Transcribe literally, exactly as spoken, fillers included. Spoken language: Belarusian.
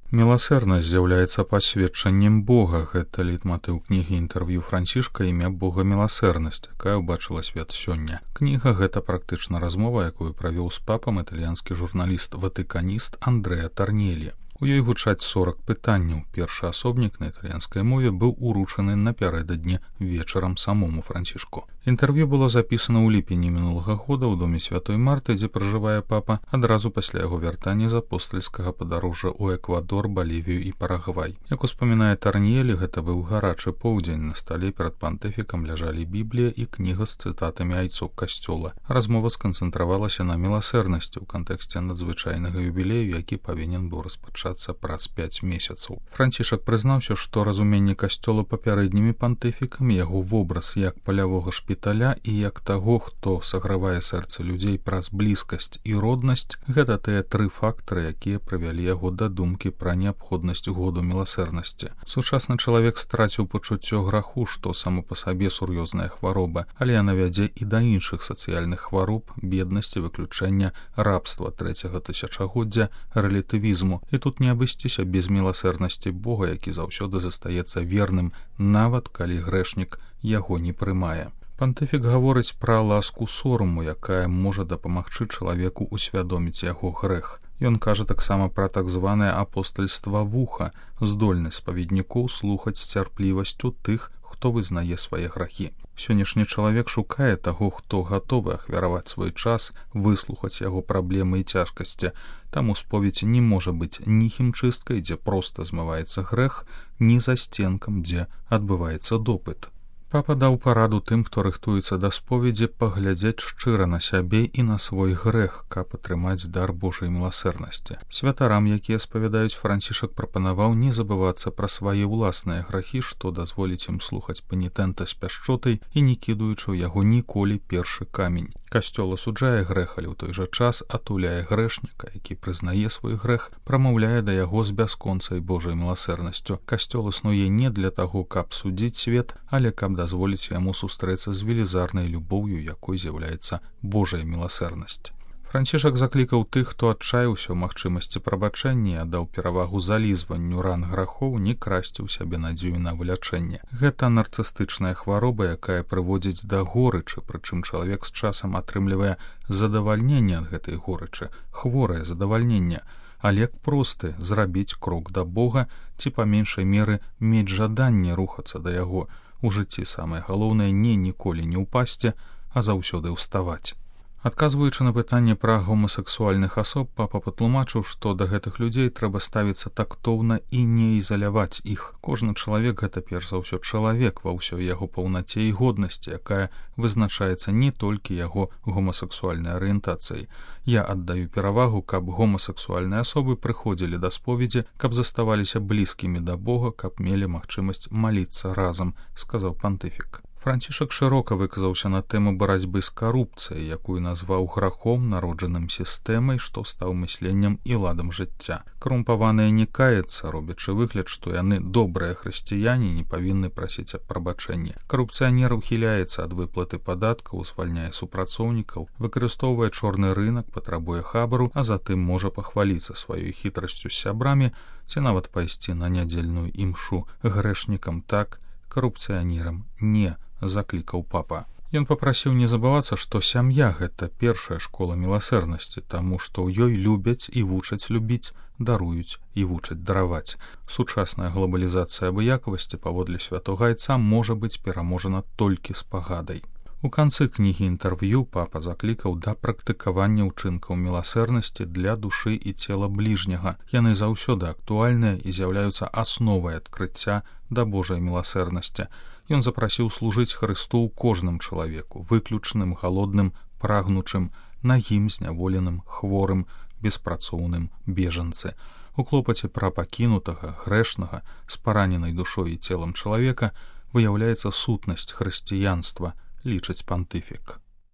Міласэрнасць з'яўляецца пасведчаннем Бога. Гэта лейтматыў кнігі інтэрв'ю Францішка «Імя Бога міласэрнасць», якая ўбачыла свет сёння. Кніга гэта практычна размова, якую правёў з папам італьянскі журналіст-ватыканіст Андрэа Тарнелі. У ёй гучаць сорак пытанняў. Першы асобнік на італьянскай мове быў уручаны напярэдадні вечарам самому Францішку. Інтэрв'ю было запісана ў ліпені мінулага года ў доме святой Марты, дзе пражывае папа, адразу пасля яго вяртання з апостальскага падарожжа ў Эквадор, Балівію і Парагвай. Як успамінае Тарнелі, гэта быў гарачы поўдзень. На стале перад пантыфікам ляжалі Біблія і кніга з цытатамі айцоў касцёла. Размова сканцэнтравалася на міласэрнасці ў кантэксце надзвычайнага юбілею, які павінен быў распачацца праз пяць месяцаў. Францішак прызнаўся, што разуменне касцёла папярэднімі пантыфікамі, яго вобраз як палявога шпіталя і як таго, хто сагравае сэрцы людзей праз блізкасць і роднасць, гэта тыя тры фактары, якія прывялі яго да думкі пра неабходнасць году міласэрнасці. Сучасны чалавек страціў пачуццё граху, што само па сабе сур'ёзная хвароба, але яна вядзе і да іншых сацыяльных хвароб, беднасці, выключэння, рабства трэцяга тысячагоддзя, рэлятывізму. І тут не абысціся без міласэрнасці Бога, які заўсёды застаецца верным, нават калі грэшнік яго не прымае. Пантыфік гаворыць пра ласку сораму, якая можа дапамагчы чалавеку усвядоміць яго грэх. Ён кажа таксама пра так званае апостальства вуха, здольнасць спаведнікоў слухаць з цярплівасцю тых, хто вызнае свае грахі. Сённяшні чалавек шукае таго, хто гатовы ахвяраваць свой час, выслухаць яго праблемы і цяжкасці. Таму споведь не можа быць ні хімчысткай, дзе проста змываецца грэх, ні засценкам, дзе адбываецца допыт. Папа даў параду тым, хто рыхтуецца да споведзі, паглядзець шчыра на сябе і на свой грэх, каб атрымаць дар Божай міласэрнасці. Святарам, якія спавядаюць, Францішак прапанаваў не забывацца пра свае ўласныя грахі, што дазволіць ім слухаць панітэнта з пяшчотай і не кідаючы ў яго ніколі першы камень. Касцёл асуджае грэх, але ў той жа час атуляе грэшніка, які прызнае свой грэх, прамаўляе да яго з бясконцай Божай міласэрнасцю. Касцёл існуе не для таго, каб судзіць свет, але каб дазволіць яму сустрэцца з велізарнай любоўю, якой з'яўляецца Божая міласэрнасць. Францішак заклікаў тых, хто адчаяўся ў магчымасці прабачэння і аддаў перавагу залізванню ран грахоў, не красці ў сябе надзею на вылячэнне. Гэта нарцыстычная хвароба, якая прыводзіць да горычы, прычым чалавек з часам атрымлівае задавальненне ад гэтай горычы, хворае задавальненне. Але просты зрабіць крок да Бога ці па меншай меры мець жаданне рухацца да яго. У жыцці самае галоўнае не ніколі не ўпасці, а заўсёды ўставаць. Адказваючы на пытанне пра гомасексуальных асоб, папа патлумачыў, што да гэтых людзей трэба ставіцца тактоўна і не ізаляваць іх. Кожны чалавек — гэта перш за ўсё чалавек ва ўсёй яго паўнаце і годнасці, якая вызначаецца не толькі яго гомасексуальнай арыентацыяй. Я аддаю перавагу, каб гомасексуальныя асобы прыходзілі да споведзі, каб заставаліся блізкімі да Бога, каб мелі магчымасць маліцца разам, сказаў пантыфік. Францішак шырока выказаўся на тэму барацьбы з карупцыяй, якую назваў грахом, народжаным сістэмай, што стаў мысленнем і ладам жыцця. Карумпаваныя не каяцца, робячы выгляд, што яны добрыя хрысціяне, не павінны прасіць аб прабачэнні. Карупцыянер ухіляецца ад выплаты падаткаў, звальняе супрацоўнікаў, выкарыстоўвае чорны рынак, патрабуе хабару, а затым можа пахваліцца сваёй хітрасцю з сябрамі ці нават пайсці на нядзельную імшу. Грэшнікам так, карупцыянерам не, заклікаў папа. Ён папрасіў не забывацца, што сям'я — гэта першая школа міласэрнасці, таму што ў ёй любяць і вучаць любіць, даруюць і вучаць дараваць. Сучасная глобалізацыя абыякавасці, паводле святога айца, можа быць пераможана толькі з пагадай. У канцы кнігі інтэрв'ю папа заклікаў да практыкавання ўчынкаў міласэрнасці для душы і цела бліжняга. Яны заўсёды актуальныя і з'яўляюцца асновай адкрыцця да Божай міласэрнасці. Ён запрасіў служыць Хрысту ў кожным чалавеку, выключным, галодным, прагнучым, нагім, зняволеным, хворым, беспрацоўным, бежанцы. У клопаце пра пакінутага, грэшнага, з параненай душой і целам чалавека выяўляецца сутнасць хрысціянства, лічыць пантыфік.